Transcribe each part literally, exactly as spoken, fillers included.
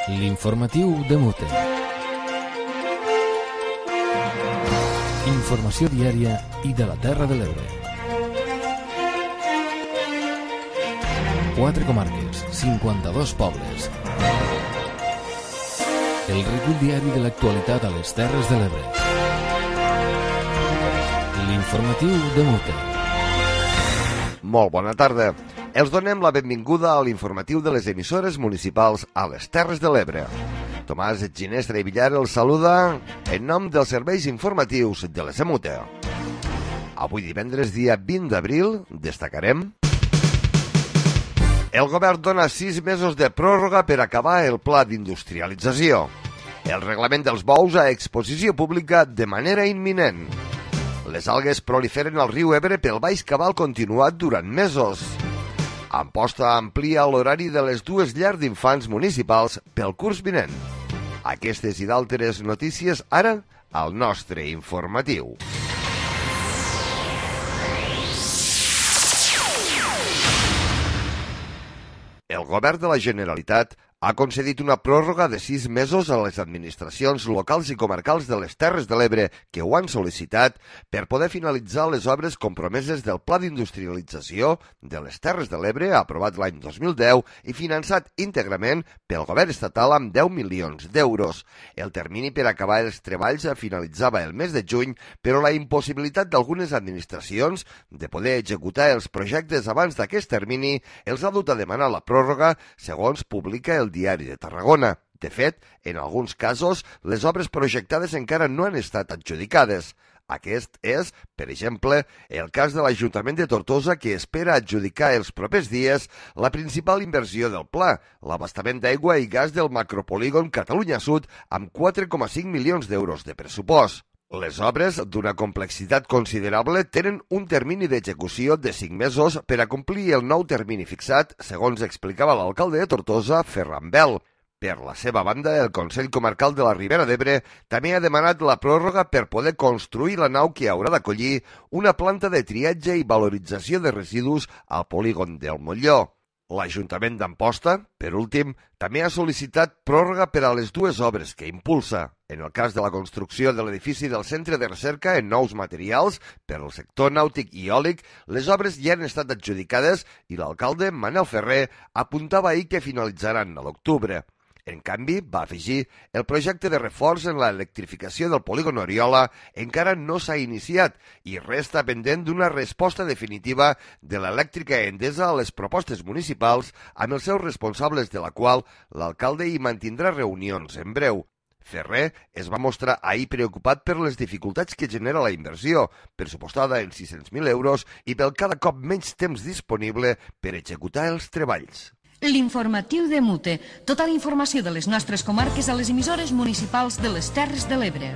L'informatiu de Mute. Informació diària i de la Terra de l'Ebre. Quatre comarques, cinquanta-dos pobles. El recull diari de l'actualitat a les Terres de l'Ebre. L'informatiu de Mute. Molt bona tarda. Els donem la benvinguda a l'informatiu de les emissores municipals a les Terres de l'Ebre. Tomàs Ginestra i Villar els saluda en nom dels serveis informatius de les Mute. Avui divendres, dia vint d'abril, destacarem: el govern dona sis mesos de pròrroga per acabar el pla d'industrialització. El reglament dels bous a exposició pública de manera imminent. Les algues proliferen al riu Ebre pel baix cabal continuat durant mesos. Amposta amplia l'horari de les dues llars d'infants municipals pel curs vinent. Aquestes i d'altres notícies ara al nostre informatiu. El govern de la Generalitat ha concedit una pròrroga de sis mesos a les administracions locals i comarcals de les Terres de l'Ebre que ho han sol·licitat per poder finalitzar les obres compromeses del Pla d'Industrialització de les Terres de l'Ebre aprovat l'any dos mil deu i finançat íntegrament pel govern estatal amb deu milions d'euros. El termini per acabar els treballs finalitzava el mes de juny, però la impossibilitat d'algunes administracions de poder executar els projectes abans d'aquest termini els ha dut a demanar la pròrroga, segons publica el Diari de Tarragona. De fet, en alguns casos, les obres projectades encara no han estat adjudicades. Aquest és, per exemple, el cas de l'Ajuntament de Tortosa, que espera adjudicar els propers dies la principal inversió del pla, l'abastament d'aigua i gas del macropolígon Catalunya Sud, amb quatre coma cinc milions d'euros de pressupost. Les obres, d'una complexitat considerable, tenen un termini d'execució de cinc mesos per a complir el nou termini fixat, segons explicava l'alcalde de Tortosa, Ferran Bel. Per la seva banda, el Consell Comarcal de la Ribera d'Ebre també ha demanat la pròrroga per poder construir la nau que haurà d'acollir una planta de triatge i valorització de residus al polígon del Molló. L'Ajuntament d'Amposta, per últim, també ha sol·licitat pròrroga per a les dues obres que impulsa. En el cas de la construcció de l'edifici del Centre de Recerca en Nous Materials per al sector nàutic i eòlic, les obres ja han estat adjudicades i l'alcalde, Manel Ferrer, apuntava ahir que finalitzaran a l'octubre. En canvi, va afegir, el projecte de reforç en l'electrificació del polígon Oriola encara no s'ha iniciat i resta pendent d'una resposta definitiva de l'elèctrica Endesa a les propostes municipals amb els seus responsables, de la qual l'alcalde hi mantindrà reunions en breu. Ferrer es va mostrar ahir preocupat per les dificultats que genera la inversió, pressupostada en sis-cents mil euros i pel cada cop menys temps disponible per executar els treballs. L'informatiu de Mute. Tota la informació de les nostres comarques a les emissores municipals de les Terres de l'Ebre.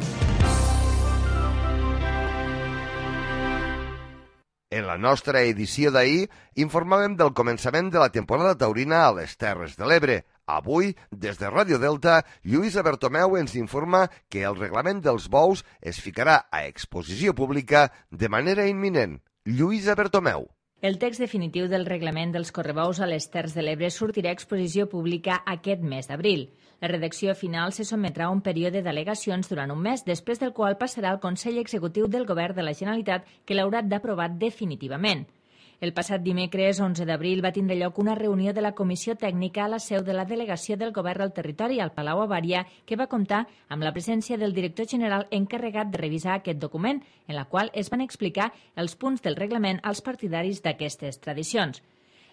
En la nostra edició d'ahir informàvem del començament de la temporada taurina a les Terres de l'Ebre. Avui, des de Ràdio Delta, Lluïsa Bertomeu ens informa que el reglament dels bous es ficarà a exposició pública de manera imminent. Lluïsa Bertomeu. El text definitiu del reglament dels correbous a les Terres de l'Ebre sortirà a exposició pública aquest mes d'abril. La redacció final se sotmetrà a un període d'al·legacions durant un mes, després del qual passarà al Consell Executiu del Govern de la Generalitat, que l'haurà d'aprovar definitivament. El passat dimecres, onze d'abril, va tindre lloc una reunió de la Comissió Tècnica a la seu de la Delegació del Govern al Territori, al Palau Avària, que va comptar amb la presència del director general encarregat de revisar aquest document, en la qual es van explicar els punts del reglament als partidaris d'aquestes tradicions.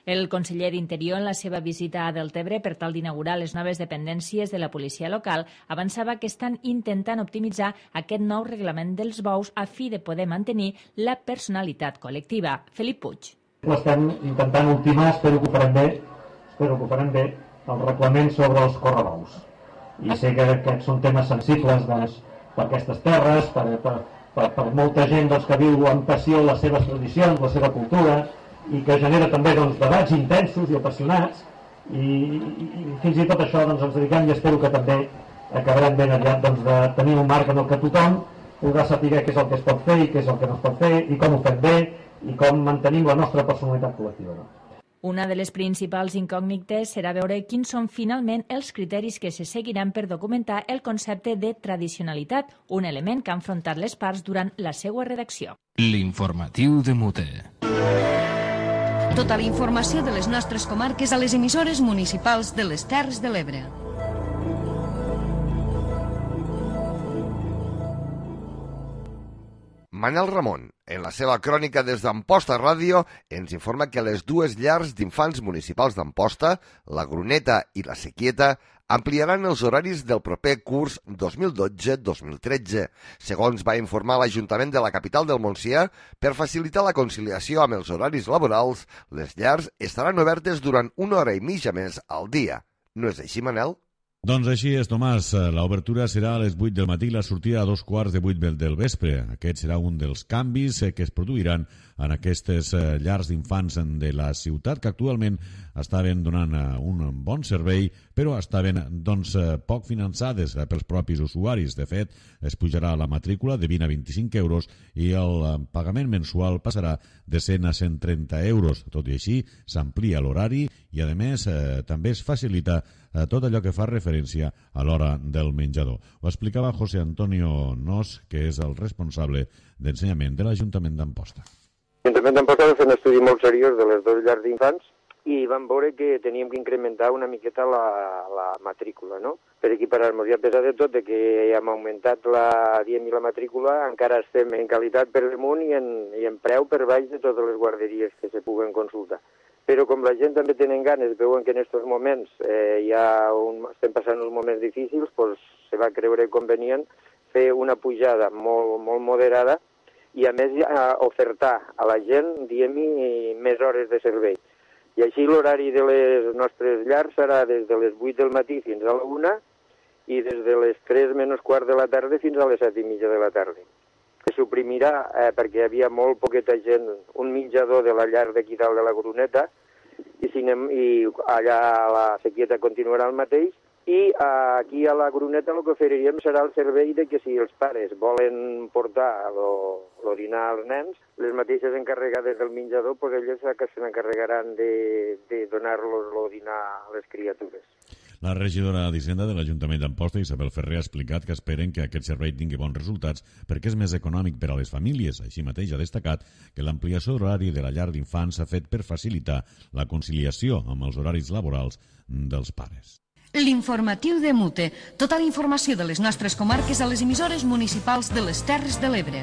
El conseller d'Interior, en la seva visita a Deltebre per tal d'inaugurar les noves dependències de la policia local, avançava que estan intentant optimitzar aquest nou reglament dels bous a fi de poder mantenir la personalitat col·lectiva. Felip Puig. L'estem intentant ultimar, espero que ho farem bé, espero que ho farem bé, el reglament sobre els correbous. I sé que aquests són temes sensibles doncs, per aquestes terres, per, per, per, per molta gent doncs, que viu amb passió les seves tradicions, la seva cultura, i que genera també doncs, debats intensos i apassionats, i, i, i fins i tot això doncs, ens dediquem i espero que també acabarem ben aviat doncs, de tenir un marc en el que tothom podrà saber què és el que es pot fer i què és el que no es pot fer i com ho fem bé i com mantenim la nostra personalitat col·lectiva. No? Una de les principals incògnites serà veure quins són finalment els criteris que se seguiran per documentar el concepte de tradicionalitat, un element que han afrontat les parts durant la seva redacció. L'informatiu de Mute. Tota la informació de les nostres comarques a les emissores municipals de les Terres de l'Ebre. Manel Ramon, en la seva crònica des d'Amposta Ràdio, ens informa que les dues llars d'infants municipals d'Amposta, la Gruneta i la Sequieta, ampliaran els horaris del proper curs dos mil dotze dos mil tretze, segons va informar l'Ajuntament de la capital del Montsià. Per facilitar la conciliació amb els horaris laborals, les llars estaran obertes durant una hora i mitja més al dia. No és així, Manel? Doncs així és, Tomàs. L'obertura serà a les vuit del matí i la sortida a dos quarts de vuit del vespre. Aquest serà un dels canvis que es produiran en aquestes llars d'infants de la ciutat, que actualment estaven donant un bon servei, però estaven doncs, poc finançades pels propis usuaris. De fet, es pujarà la matrícula de vint a vint-i-cinc euros i el pagament mensual passarà de cent a cent trenta euros. Tot i així, s'amplia l'horari i, a més, eh, també es facilita eh, tot allò que fa referència a l'hora del menjador. Ho explicava José Antonio Nos, que és el responsable d'ensenyament de l'Ajuntament d'Amposta. L'Ajuntament d'Amposta va fer un estudi molt seriós de les dues llars d'infants i vam veure que teníem que incrementar una miqueta la, la matrícula, no? Per equiparar-nos. I a pesar de tot de que hem augmentat la, diem, la matrícula, encara estem en qualitat per damunt i en, i en preu per baix de totes les guarderies que se puguen consultar. Però com la gent també tenen ganes, veuen que en aquests moments eh, hi ha un, estem passant uns moments difícils, doncs se va creure convenient fer una pujada molt, molt moderada i a més a ofertar a la gent, diem-hi, més hores de servei. I així l'horari de les nostres llars serà des de les vuit del matí fins a la una i des de les tres menys quart de la tarda fins a les set i mitja de la tarda. Se suprimirà, eh, perquè hi havia molt poqueta gent, un menjador de la llar d'aquí dalt de la Gruneta i, cinem, i allà a la Sequieta continuarà el mateix. I aquí a la Gruneta el que oferiríem serà el servei de que si els pares volen portar l'orinar als nens, les mateixes encarregades del menjador, doncs elles que se n'encarregaran de, de donar-los l'orinar a les criatures. La regidora d'Hisenda de l'Ajuntament d'Amposta, Isabel Ferrer, ha explicat que esperen que aquest servei tingui bons resultats perquè és més econòmic per a les famílies. Així mateix ha destacat que l'ampliació d'horari de la llar d'infants s'ha fet per facilitar la conciliació amb els horaris laborals dels pares. L'informatiu de Mute. Tota la informació de les nostres comarques a les emissores municipals de les Terres de l'Ebre.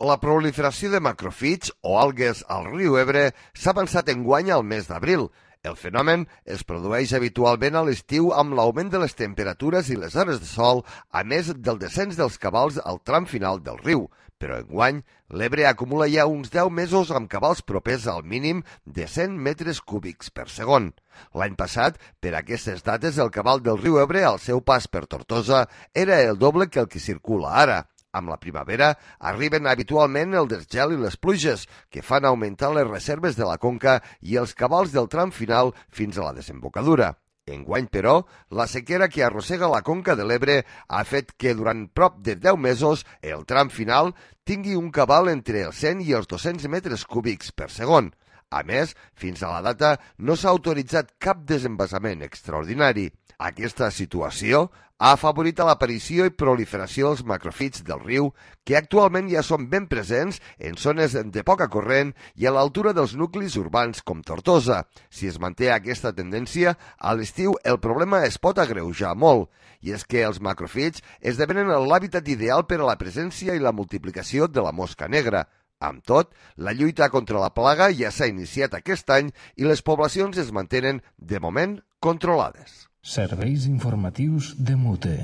La proliferació de macrofits o algues al riu Ebre s'ha avançat enguany al mes d'abril. El fenomen es produeix habitualment a l'estiu amb l'augment de les temperatures i les hores de sol, a més del descens dels cabals al tram final del riu. Però enguany, l'Ebre acumula ja uns deu mesos amb cabals propers al mínim de cent metres cúbics per segon. L'any passat, per aquestes dates, el cabal del riu Ebre al seu pas per Tortosa era el doble que el que circula ara. Amb la primavera arriben habitualment el desgel i les pluges, que fan augmentar les reserves de la conca i els cabals del tram final fins a la desembocadura. Enguany, però, la sequera que arrossega la conca de l'Ebre ha fet que durant prop de deu mesos el tram final tingui un cabal entre els cent i els dos-cents metres cúbics per segon. A més, fins a la data no s'ha autoritzat cap desembassament extraordinari. Aquesta situació ha afavorit a l'aparició i proliferació dels macrofits del riu, que actualment ja són ben presents en zones de poca corrent i a l'altura dels nuclis urbans com Tortosa. Si es manté aquesta tendència, a l'estiu el problema es pot agreujar molt, i és que els macrofits esdevenen l'hàbitat ideal per a la presència i la multiplicació de la mosca negra. Amb tot, la lluita contra la plaga ja s'ha iniciat aquest any i les poblacions es mantenen, de moment, controlades. Serveis informatius de Mute.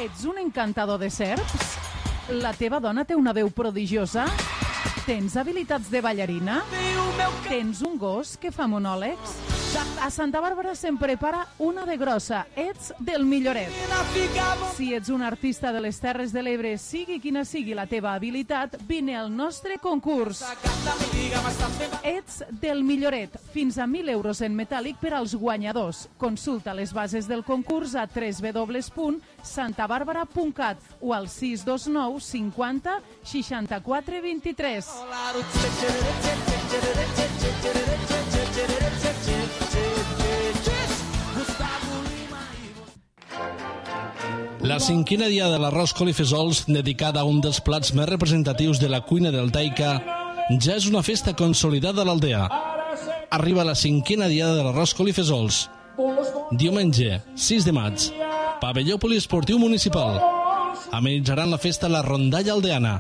Ets un encantador de serps? La teva dona té una veu prodigiosa? Tens habilitats de ballarina? Tens un gos que fa monòlegs? A Santa Bàrbara se'n prepara una de grossa. Ets del Milloret. Si ets un artista de les Terres de l'Ebre, sigui quina sigui la teva habilitat, vine al nostre concurs. Ets del Milloret. Fins a mil euros en metàl·lic per als guanyadors. Consulta les bases del concurs a w w w punt santa bàrbara punt cat o al sis dos nou cinquanta seixanta-quatre vint-i-tres. La cinquena dia de l'arròs colifesols, dedicada a un dels plats més representatius de la cuina deltaica, ja és una festa consolidada a l'aldea. Arriba la cinquena diada de l'arròs colifesols. Diumenge, sis de maig, pavelló poliesportiu municipal. Amenitzaran la festa la rondalla aldeana.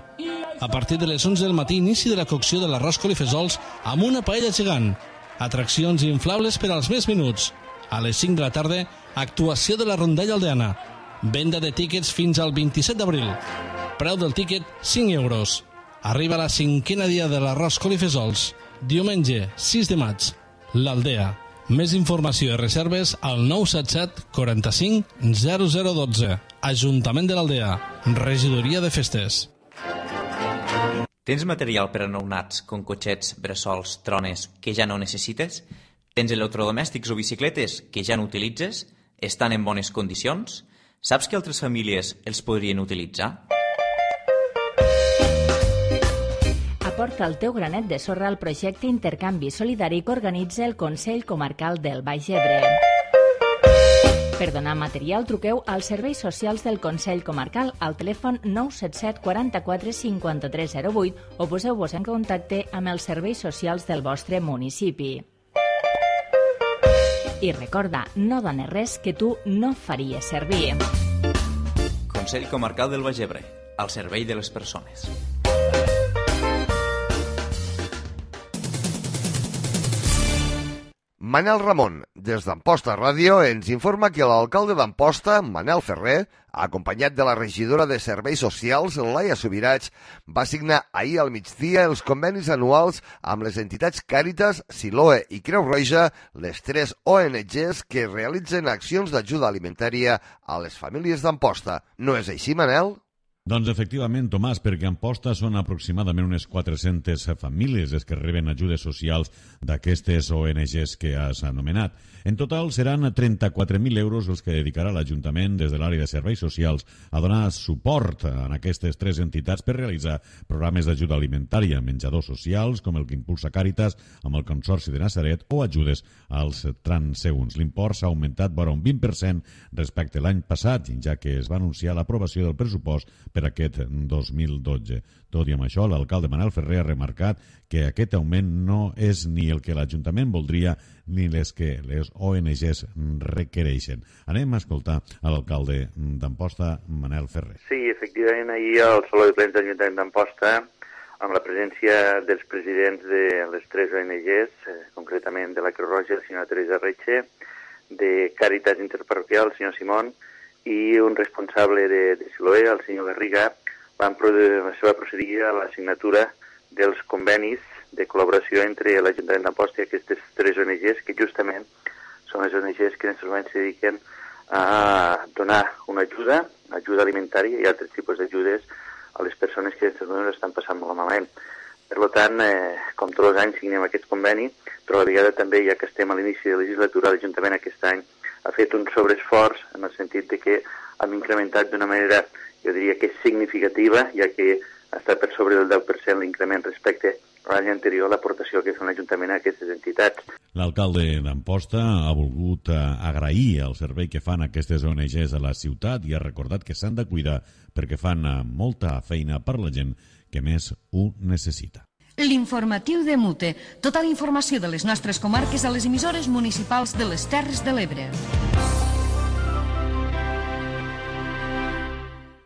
A partir de les onze del matí, inici de la cocció de l'arròs colifesols amb una paella gegant. Atraccions inflables per als més minuts. A les cinc de la tarda, actuació de la rondalla aldeana. Venda de tíquets fins al vint-i-set d'abril. Preu del tíquet, cinc euros. Arriba la cinquena dia de l'arròs colifesols. Diumenge, sis de maig. L'Aldea. Més informació i reserves al nou set set quaranta-cinc zero zero dotze. Ajuntament de l'Aldea. Regidoria de Festes. Tens material per a nounats, com cotxets, bressols, trones, que ja no necessites? Tens electrodomèstics o bicicletes que ja no utilitzes? Estan en bones condicions? Saps que altres famílies els podrien utilitzar? Aporta el teu granet de sorra al projecte Intercanvi Solidari que organitza el Consell Comarcal del Baix Ebre. Per donar material, truqueu als serveis socials del Consell Comarcal al telèfon nou set set quaranta-quatre cinquanta-tres zero vuit o poseu-vos en contacte amb els serveis socials del vostre municipi. I recorda, no dones res que tu no faries servir. Consell Comarcal del Baix Ebre, al servei de les persones. Manel Ramon, des d'Amposta Ràdio, ens informa que l'alcalde d'Amposta, Manel Ferrer, acompanyat de la regidora de Serveis Socials, Laia Subirats, va signar ahir al migdia els convenis anuals amb les entitats Càritas, Siloe i Creu Roja, les tres O N Ges que realitzen accions d'ajuda alimentària a les famílies d'Amposta. No és així, Manel? Doncs efectivament, Tomàs, perquè a Amposta són aproximadament unes quatre-centes famílies les que reben ajudes socials d'aquestes O N Ges que has anomenat. En total seran trenta-quatre mil euros els que dedicarà l'Ajuntament des de l'àrea de serveis socials a donar suport a aquestes tres entitats per realitzar programes d'ajuda alimentària, menjadors socials, com el que impulsa Càritas amb el Consorci de Nazaret, o ajudes als transeunts. L'import s'ha augmentat vora un vint per cent respecte a l'any passat, ja que es va anunciar l'aprovació del pressupost per aquest dos mil dotze. Tot i amb això, l'alcalde Manel Ferrer ha remarcat que aquest augment no és ni el que l'Ajuntament voldria ni les que les O N Ges requereixen. Anem a escoltar a l'alcalde d'Amposta, Manel Ferrer. Sí, efectivament, ahir al Saló de Plens de l'Ajuntament d'Amposta, amb la presència dels presidents de les tres O N Ges, eh, concretament de la Creu Roja, la senyora Teresa Retxe, de Càritas Interparroquial, el senyor Simón, i un responsable de, de Siloé, el senyor Garriga, van produir, se va procedir a la signatura dels convenis de col·laboració entre l'Ajuntament d'Amposta i aquestes tres O N Ges, que justament són les O N Ges que en aquests moments se dediquen a donar una ajuda, ajuda alimentària i altres tipus d'ajudes a les persones que en aquests moments estan passant molt malament. Per tant, eh, com tots els anys signem aquest conveni, però a la vegada també, ja que estem a l'inici de la legislatura, l'Ajuntament aquest any ha fet un sobreesforç en el sentit de que hem incrementat d'una manera, jo diria que significativa, ja que està per sobre del deu per cent l'increment respecte a l'any anterior, l'aportació que fa l'Ajuntament a aquestes entitats. L'alcalde d'Amposta ha volgut agrair el servei que fan aquestes O N Ges a la ciutat i ha recordat que s'han de cuidar perquè fan molta feina per la gent que més ho necessita. L'informatiu de Mute. Tota la informació de les nostres comarques a les emissores municipals de les Terres de l'Ebre.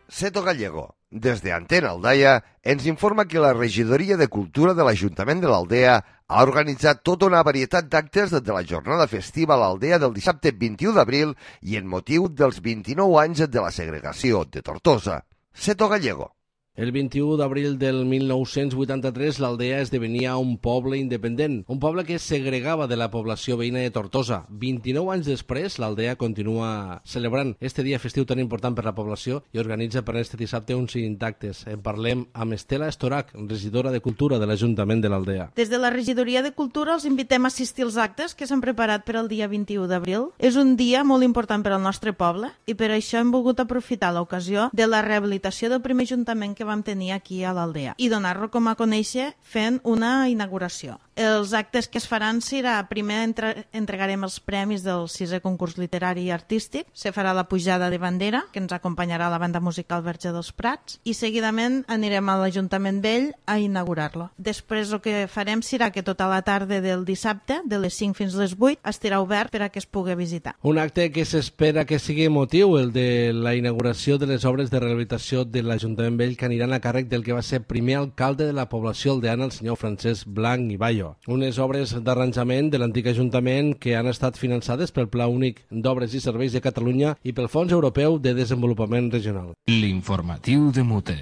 Seto Gallego, des de Antena Aldaia, ens informa que la Regidoria de Cultura de l'Ajuntament de l'Aldea ha organitzat tota una varietat d'actes de la jornada festiva a l'Aldea del dissabte vint-i-u d'abril i en motiu dels vint-i-nou anys de la segregació de Tortosa. Seto Gallego. El vint-i-u d'abril del mil nou-cents vuitanta-tres l'Aldea esdevenia un poble independent, un poble que es segregava de la població veïna de Tortosa. vint-i-nou anys després, l'Aldea continua celebrant este dia festiu tan important per la població i organitza per este dissabte uns actes. En parlem amb Estela Estorac, regidora de Cultura de l'Ajuntament de l'Aldea. Des de la Regidoria de Cultura els invitem a assistir als actes que s'han preparat per al dia vint-i-u d'abril. És un dia molt important per al nostre poble i per això hem volgut aprofitar l'ocasió de la rehabilitació del primer ajuntament que vam tenir aquí a l'Aldea i donar-lo com a conèixer fent una inauguració. Els actes que es faran serà, primer entre, entregarem els premis del sisè concurs literari i artístic, se farà la pujada de bandera, que ens acompanyarà la banda musical Verge dels Prats, i seguidament anirem a l'Ajuntament Vell a inaugurar-lo. Després el que farem serà que tota la tarda del dissabte, de les cinc fins a les vuit, estarà obert per a que es pugui visitar. Un acte que s'espera que sigui emotiu, el de la inauguració de les obres de rehabilitació de l'Ajuntament Vell que aniran a càrrec del que va ser primer alcalde de la població aldeana, el senyor Francesc Blanc i Bayo. Unes obres d'arranjament de l'antic Ajuntament que han estat finançades pel Pla Únic d'Obres i Serveis de Catalunya i pel Fons Europeu de Desenvolupament Regional. L'informatiu de Mute.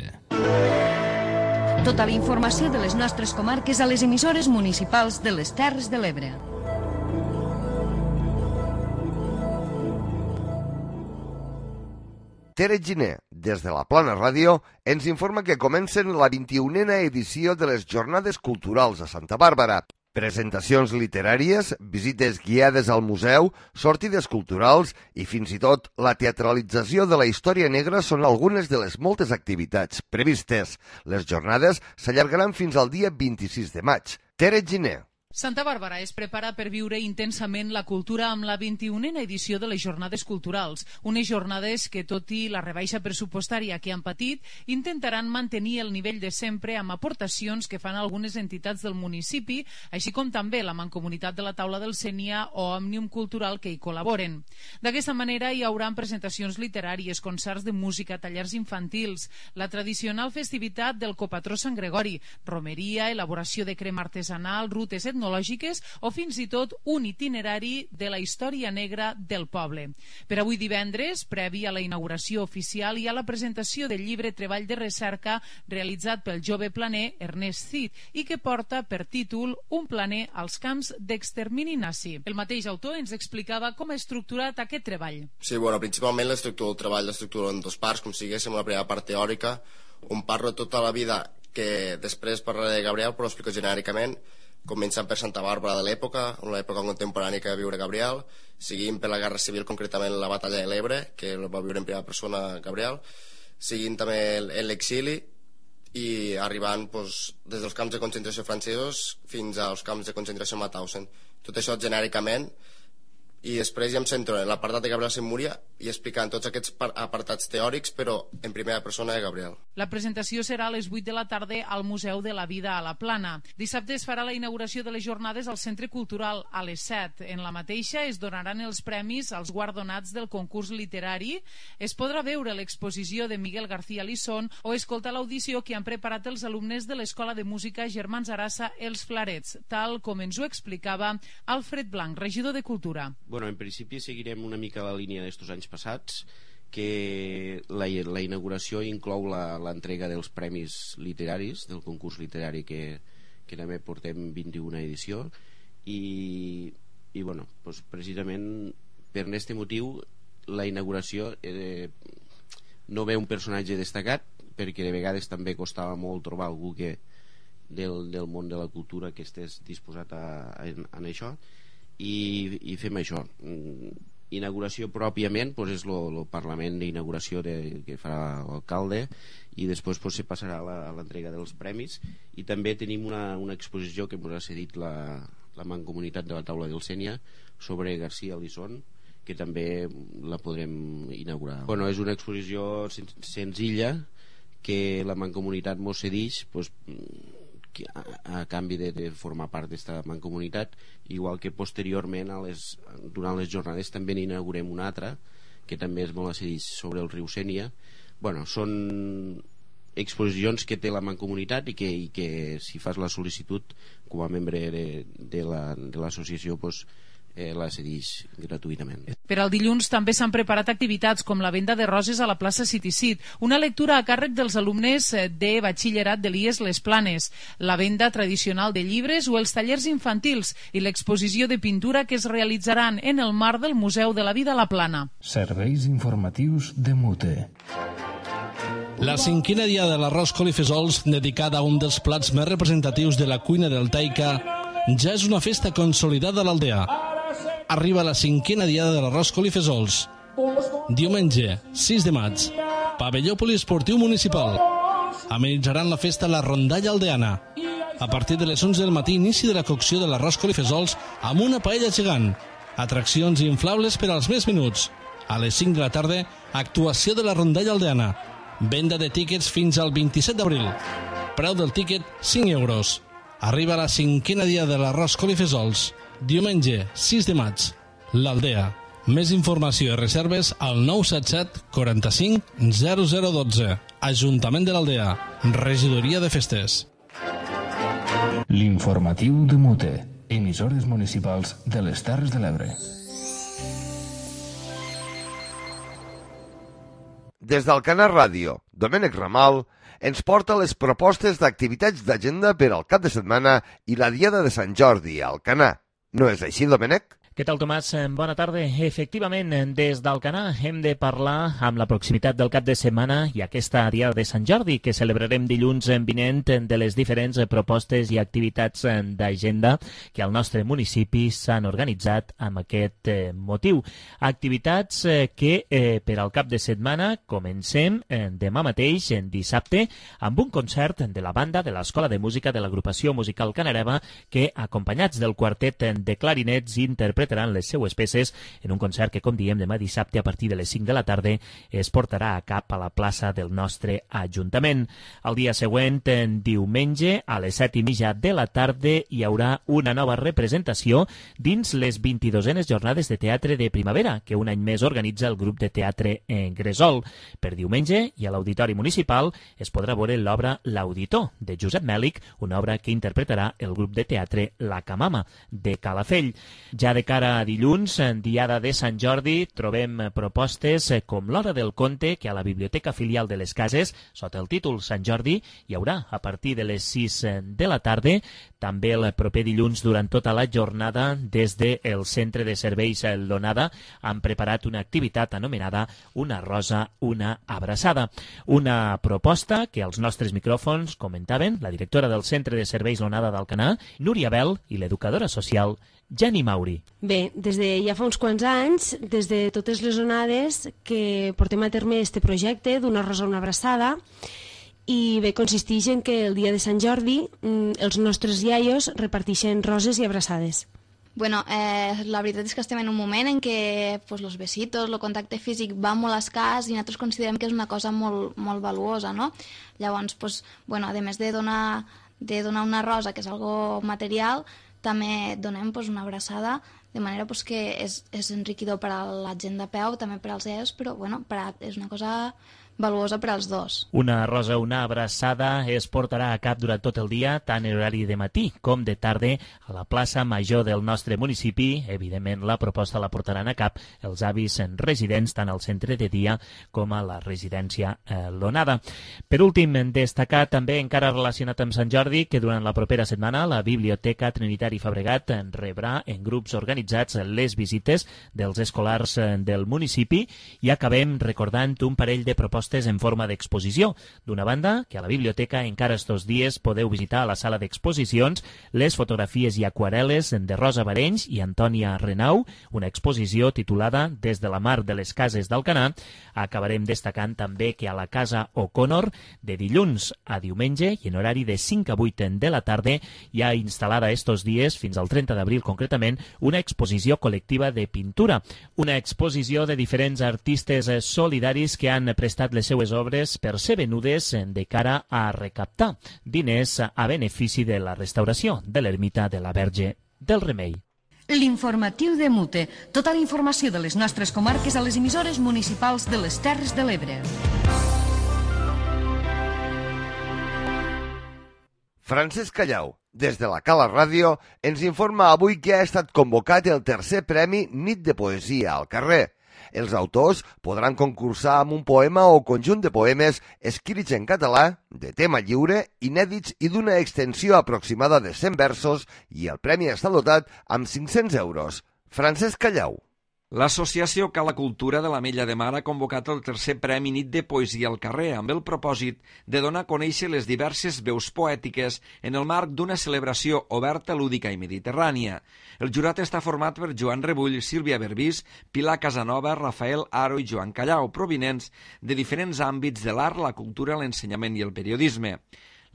Tota la informació de les nostres comarques a les emissores municipals de les Terres de l'Ebre. Tere Giner, des de la Plana Ràdio, ens informa que comencen la vint-i-unena edició de les Jornades Culturals a Santa Bàrbara. Presentacions literàries, visites guiades al museu, sortides culturals i fins i tot la teatralització de la història negra són algunes de les moltes activitats previstes. Les jornades s'allargaran fins al dia vint-i-sis de maig. Tere Giner. Santa Bàrbara es prepara per viure intensament la cultura amb la vint-i-unena edició de les Jornades Culturals, unes jornades que, tot i la rebaixa pressupostària que han patit, intentaran mantenir el nivell de sempre amb aportacions que fan algunes entitats del municipi, així com també la Mancomunitat de la Taula del Sénia o Òmnium Cultural que hi col·laboren. D'aquesta manera hi haurà presentacions literàries, concerts de música, tallers infantils, la tradicional festivitat del Copatró Sant Gregori, romeria, elaboració de crema artesanal, rutes etnològiques o fins i tot un itinerari de la història negra del poble. Per avui divendres, previ a la inauguració oficial, hi ha la presentació del llibre Treball de Recerca realitzat pel jove planer Ernest Cid i que porta per títol Un planer als camps d'extermini nazi. El mateix autor ens explicava com ha estructurat aquest treball. Sí, bueno, principalment l'estructura del treball l'estructura en dos parts, com siguéssim la primera part teòrica, on parlo tota la vida que després parlaré de Gabriel, però ho explico genèricament, començant per Santa Bàrbara de l'època, una època contemporània que va viure Gabriel, seguint per la Guerra Civil, concretament la Batalla de l'Ebre, que va viure en primera persona Gabriel, seguint també en l'exili i arribant doncs, des dels camps de concentració francesos fins als camps de concentració Mauthausen. Tot això genèricament, i després ja em centro en l'apartat de Gabriel Saint Múria i explicant tots aquests apartats teòrics, però en primera persona de Gabriel. La presentació serà a les vuit de la tarda al Museu de la Vida a la Plana. Dissabte es farà la inauguració de les jornades al Centre Cultural a les set. En la mateixa es donaran els premis als guardonats del concurs literari. Es podrà veure l'exposició de Miguel García Lisón o escoltar l'audició que han preparat els alumnes de l'Escola de Música Germans Arassa Els Flarets, tal com ens ho explicava Alfred Blanc, regidor de Cultura. Bueno, en principi seguirem una mica la línia d'estos anys passats, que la, la inauguració inclou l'entrega dels premis literaris, del concurs literari que, que també portem vint-i-una edició, i, i bueno, doncs precisament per aquest motiu la inauguració eh, no ve un personatge destacat, perquè de vegades també costava molt trobar algú que, del, del món de la cultura que estés disposat a, a, a això, i, i fem això. Inauguració pròpiament doncs és el Parlament d'inauguració que farà l'alcalde, i després doncs, se passarà a l'entrega dels premis, i també tenim una, una exposició que ens ha cedit la, la Mancomunitat de la Taula del Sénia sobre García Lisón, que també la podrem inaugurar. Bueno, és una exposició sen senzilla que la Mancomunitat mos cedeix doncs, a, a canvi de, de formar part d'esta mancomunitat, igual que posteriorment a les, durant les jornades també n'inaugurem una altra que també es molt acedeix sobre el riu Sénia. Bueno, són exposicions que té la mancomunitat i que, i que si fas la sol·licitud com a membre de, de l'associació la, doncs, eh, la cedeix gratuïtament. Per al dilluns també s'han preparat activitats com la venda de roses a la plaça Citicid, una lectura a càrrec dels alumnes de batxillerat de l'I E S Les Planes, la venda tradicional de llibres o els tallers infantils i l'exposició de pintura que es realitzaran en el marc del Museu de la Vida a la Plana. Serveis informatius de Mute. La cinquena dia de l'arròs col i fesols, dedicada a un dels plats més representatius de la cuina deltaica, ja és una festa consolidada a l'Aldea. Arriba la cinquena diada de l'arròs col i fesols. Diumenge, sis de maig, pavelló poliesportiu municipal. Amenitzaran la festa la rondalla aldeana. A partir de les onze del matí, inici de la cocció de l'arròs col i fesols amb una paella gegant. Atraccions inflables per als més menuts. A les cinc de la tarda, actuació de la rondalla aldeana. Venda de tíquets fins al vint-i-set d'abril. Preu del tíquet, cinc euros. Arriba la cinquena dia de l'arròs col i fesols. Diumenge, sis de maig. L'Aldea. Més informació i reserves al nou set set quaranta-cinc zero zero dotze. Ajuntament de l'Aldea. Regidoria de Festes. L'informatiu de Mute. Emissores municipals de les Terres de l'Ebre. Des d'Alcanar Ràdio, Domènec Ramal ens porta les propostes d'activitats d'agenda per al cap de setmana i la Diada de Sant Jordi a Alcanar. No és així, Domènec? Què tal, Tomàs? Bona tarda. Efectivament, des d'Alcanar hem de parlar amb la proximitat del cap de setmana i aquesta Diada de Sant Jordi que celebrarem dilluns vinent de les diferents propostes i activitats d'agenda que al nostre municipi s'han organitzat amb aquest motiu. Activitats que per al cap de setmana comencem demà mateix, dissabte, amb un concert de la banda de l'Escola de Música de l'Agrupació Musical Canareva que, acompanyats del quartet de clarinets, interpretaran les seues peces en un concert que, com diem, demà dissabte a partir de les cinc de la tarda es portarà a cap a la plaça del nostre Ajuntament. El dia següent, en diumenge, a les set i mitja de la tarda, hi haurà una nova representació dins les vint-i-dosenes jornades de teatre de primavera que un any més organitza el grup de teatre en Gresol. Per diumenge, i a l'Auditori Municipal, es podrà veure l'obra L'Auditor, de Josep Mèlic, una obra que interpretarà el grup de teatre La Camama, de Calafell. Ja de cara a dilluns, en Diada de Sant Jordi, trobem propostes com l'Hora del Conte, que a la Biblioteca Filial de les Cases, sota el títol Sant Jordi, hi haurà a partir de les sis de la tarda. També el proper dilluns, durant tota la jornada, des del Centre de Serveis L'Onada, han preparat una activitat anomenada Una rosa, una abraçada. Una proposta que als nostres micròfons comentaven la directora del Centre de Serveis L'Onada d'Alcanar, Núria Bel, i l'educadora social Jenny Mauri. Bé, des de ja fa uns quants anys, des de totes les onades que portem a terme este projecte d'Una rosa, una abraçada, i bé, consisteix en que el dia de Sant Jordi els nostres iaios reparteixen roses i abraçades. Bueno, eh, la veritat és que estem en un moment en què pues, los besitos, el contacte físic va molt escàs i nosaltres considerem que és una cosa molt, molt valuosa, no? Llavors, pues, bueno, a més de donar, de donar una rosa, que és algo material, també donem pues, una abraçada, de manera pues, que és, és enriquidor per a la gent de peu, també per als iaios, però bueno, per a, és una cosa valuosa per als dos. Una rosa, una abraçada es portarà a cap durant tot el dia, tant en horari de matí com de tarda, a la plaça Major del nostre municipi. Evidentment, la proposta la portaran a cap els avis residents, tant al centre de dia com a la residència eh, L'Onada. Per últim, destacar també, encara relacionat amb Sant Jordi, que durant la propera setmana la Biblioteca Trinitari Fabregat rebrà en grups organitzats les visites dels escolars del municipi i acabem recordant un parell de propostes en forma d'exposició. D'una banda, que a la biblioteca encara estos dies podeu visitar a la sala d'exposicions les fotografies i aquarel·les de Rosa Barenys i Antònia Renau, una exposició titulada Des de la mar de les cases d'Alcanar. Acabarem destacant també que a la Casa O'Connor, de dilluns a diumenge i en horari de cinc a vuit de la tarda, hi ha instal·lada estos dies, fins al trenta d'abril concretament, una exposició col·lectiva de pintura. Una exposició de diferents artistes solidaris que han prestat les seues obres per ser venudes de cara a recaptar diners a benefici de la restauració de l'ermita de la Verge del Remei. L'informatiu de Mute. Tota la informació de les nostres comarques a les emissores municipals de les Terres de l'Ebre. Francesc Callau, Des de la Cala Ràdio ens informa avui que ha estat convocat el tercer premi Nit de Poesia al carrer. Els autors podran concursar amb un poema o conjunt de poemes escrits en català, de tema lliure, inèdits i d'una extensió aproximada de cent versos, i el premi està dotat amb cinc-cents euros. Francesc Callau. L'associació Cala Cultura de l'Ametlla de Mar ha convocat el tercer Premi Nit de Poesia al carrer amb el propòsit de donar a conèixer les diverses veus poètiques en el marc d'una celebració oberta, lúdica i mediterrània. El jurat està format per Joan Rebull, Sílvia Berbís, Pilar Casanova, Rafael Aro i Joan Callau, provinents de diferents àmbits de l'art, la cultura, l'ensenyament i el periodisme.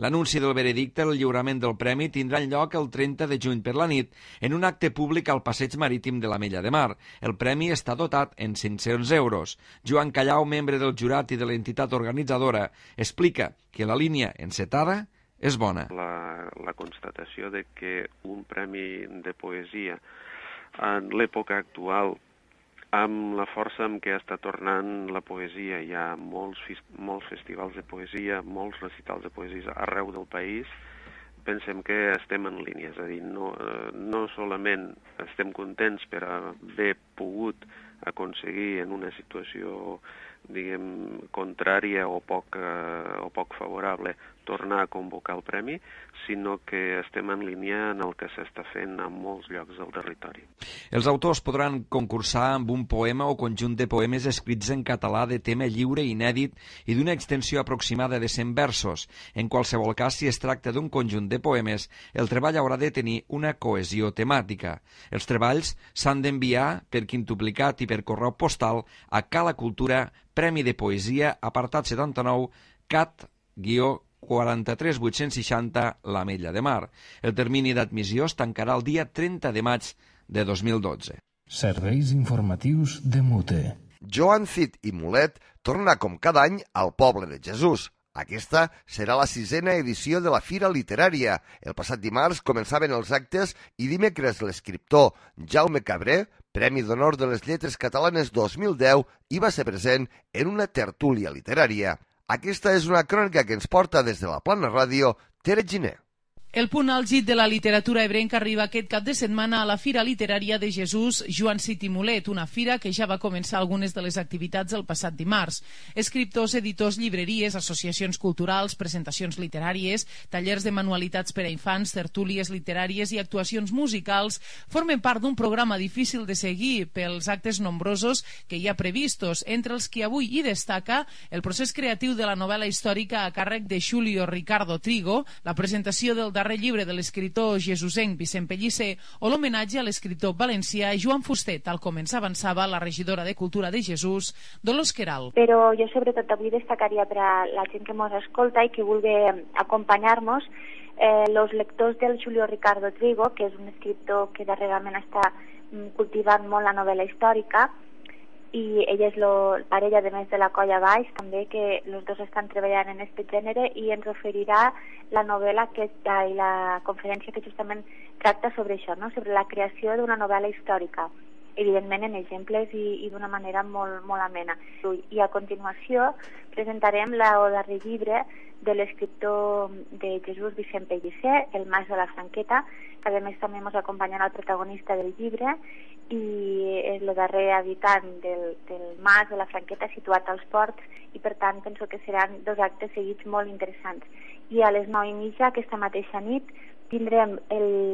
L'anunci del veredicte, el lliurament del premi, tindrà lloc el trenta de juny per la nit en un acte públic al passeig marítim de l'Ametlla de Mar. El premi està dotat en cinc-cents euros. Joan Callau, membre del jurat i de l'entitat organitzadora, explica que la línia encetada és bona. La, la constatació de que un premi de poesia en l'època actual, amb la força amb què està tornant la poesia, hi ha molts, molts festivals de poesia, molts recitals de poesia arreu del país, pensem que estem en línia, és a dir, no, no solament estem contents per haver pogut aconseguir en una situació, diguem, contrària o poc, eh, o poc favorable tornar a convocar el premi, sinó que estem en línia en el que s'està fent en molts llocs del territori. Els autors podran concursar amb un poema o conjunt de poemes escrits en català de tema lliure, inèdit i d'una extensió aproximada de cent versos. En qualsevol cas, si es tracta d'un conjunt de poemes, el treball haurà de tenir una cohesió temàtica. Els treballs s'han d'enviar per quintuplicat i per correu postal a Cala Cultura, Premi de Poesia, apartat setanta-nou, cat guió quaranta-tres vuit-cents seixanta, l'Ametlla de Mar. El termini d'admissió es tancarà el dia trenta de maig de dos mil dotze. Serveis informatius de Mute. Joan Cid i Mulet torna com cada any al Poble de Jesús. Aquesta serà la sisena edició de la Fira Literària. El passat dimarts començaven els actes i dimecres l'escriptor Jaume Cabré, Premi d'Honor de les Lletres Catalanes dos mil deu, hi va ser present en una tertúlia literària. Aquesta és una crònica que ens porta des de la Plana Ràdio, Tere Giner. El punt àlgid de la literatura ebrenca arriba aquest cap de setmana a la Fira Literària de Jesús Joan Cid i Mulet, una fira que ja va començar algunes de les activitats el passat dimarts. Escriptors, editors, llibreries, associacions culturals, presentacions literàries, tallers de manualitats per a infants, tertúlies literàries i actuacions musicals formen part d'un programa difícil de seguir pels actes nombrosos que hi ha previstos, entre els que avui hi destaca el procés creatiu de la novel·la històrica a càrrec de Julio Ricardo Trigo, la presentació del darrer llibre de l'escriptor jesusenc Vicent Pellicer o l'homenatge a l'escriptor valencià Joan Fuster, tal com ens avançava la regidora de Cultura de Jesús, Dolors Queralt. Però jo sobretot avui destacaria per a la gent que ens escolta i que vulgui acompanyar-nos eh, los lectors del Julio Ricardo Trigo, que és un escriptor que darrerament està cultivant molt la novel·la històrica, i ella és lo, parella de més de la Colla Baix també, que els dos estan treballant en aquest gènere, i ens oferirà la novel·la que, i la conferència que justament tracta sobre això, no? Sobre la creació d'una novel·la històrica, evidentment en exemples i, i d'una manera molt, molt amena. I a continuació presentarem el darrer llibre de l'escriptor de Jesús Vicent Pellicer, El Mas de la Franqueta, que a més també ens acompanyarà el protagonista del llibre, i és el darrer habitant del, del Mas de la Franqueta situat als Ports, i per tant penso que seran dos actes seguits molt interessants. I a les nou i mitja aquesta mateixa nit tindrem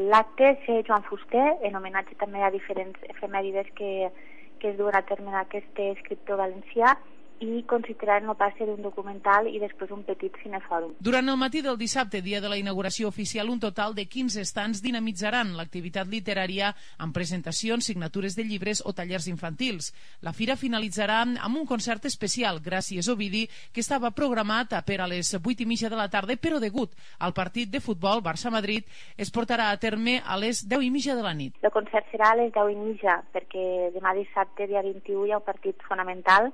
l'acte ser Joan Fuster, en homenatge també a diferents efemèrides que, que es duen a terme aquest escriptor valencià, i considerant el passe d'un documental i després un petit cinefòrum. Durant el matí del dissabte, dia de la inauguració oficial, un total de quinze estants dinamitzaran l'activitat literària amb presentacions, signatures de llibres o tallers infantils. La fira finalitzarà amb un concert especial, Gràcies Ovidi, que estava programat per a les vuit i mitja de la tarda, però degut al partit de futbol Barça-Madrid es portarà a terme a les deu i mitja de la nit. El concert serà a les deu i mitja, perquè demà dissabte, dia vint-i-u, hi ha un partit fonamental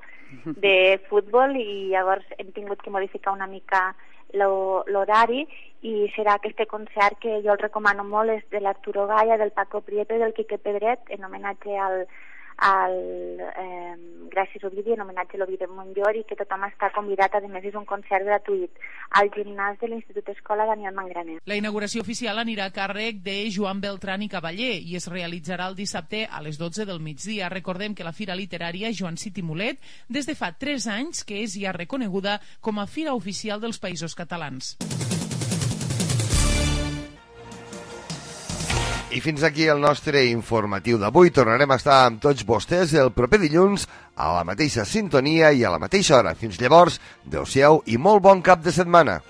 de futbol, i llavors hem tingut que modificar una mica l'horari, i serà aquest concert que jo el recomano molt, és de l'Arturo Gaya, del Paco Prieto i del Quique Pedret, en homenatge al, al eh, Gràcies Ovidi, en homenatge a l'Ovidi Montllor, i que tothom està convidat. A més, és un concert gratuït al gimnàs de l'Institut Escola Daniel Mangraner. La inauguració oficial anirà a càrrec de Joan Beltran i Cavaller i es realitzarà el dissabte a les dotze del migdia. Recordem que la Fira Literària Joan City Mulet des de fa tres anys que és ja reconeguda com a Fira Oficial dels Països Catalans. I fins aquí el nostre informatiu d'avui. Tornarem a estar amb tots vostès el proper dilluns a la mateixa sintonia i a la mateixa hora. Fins llavors, adeu-siau i molt bon cap de setmana.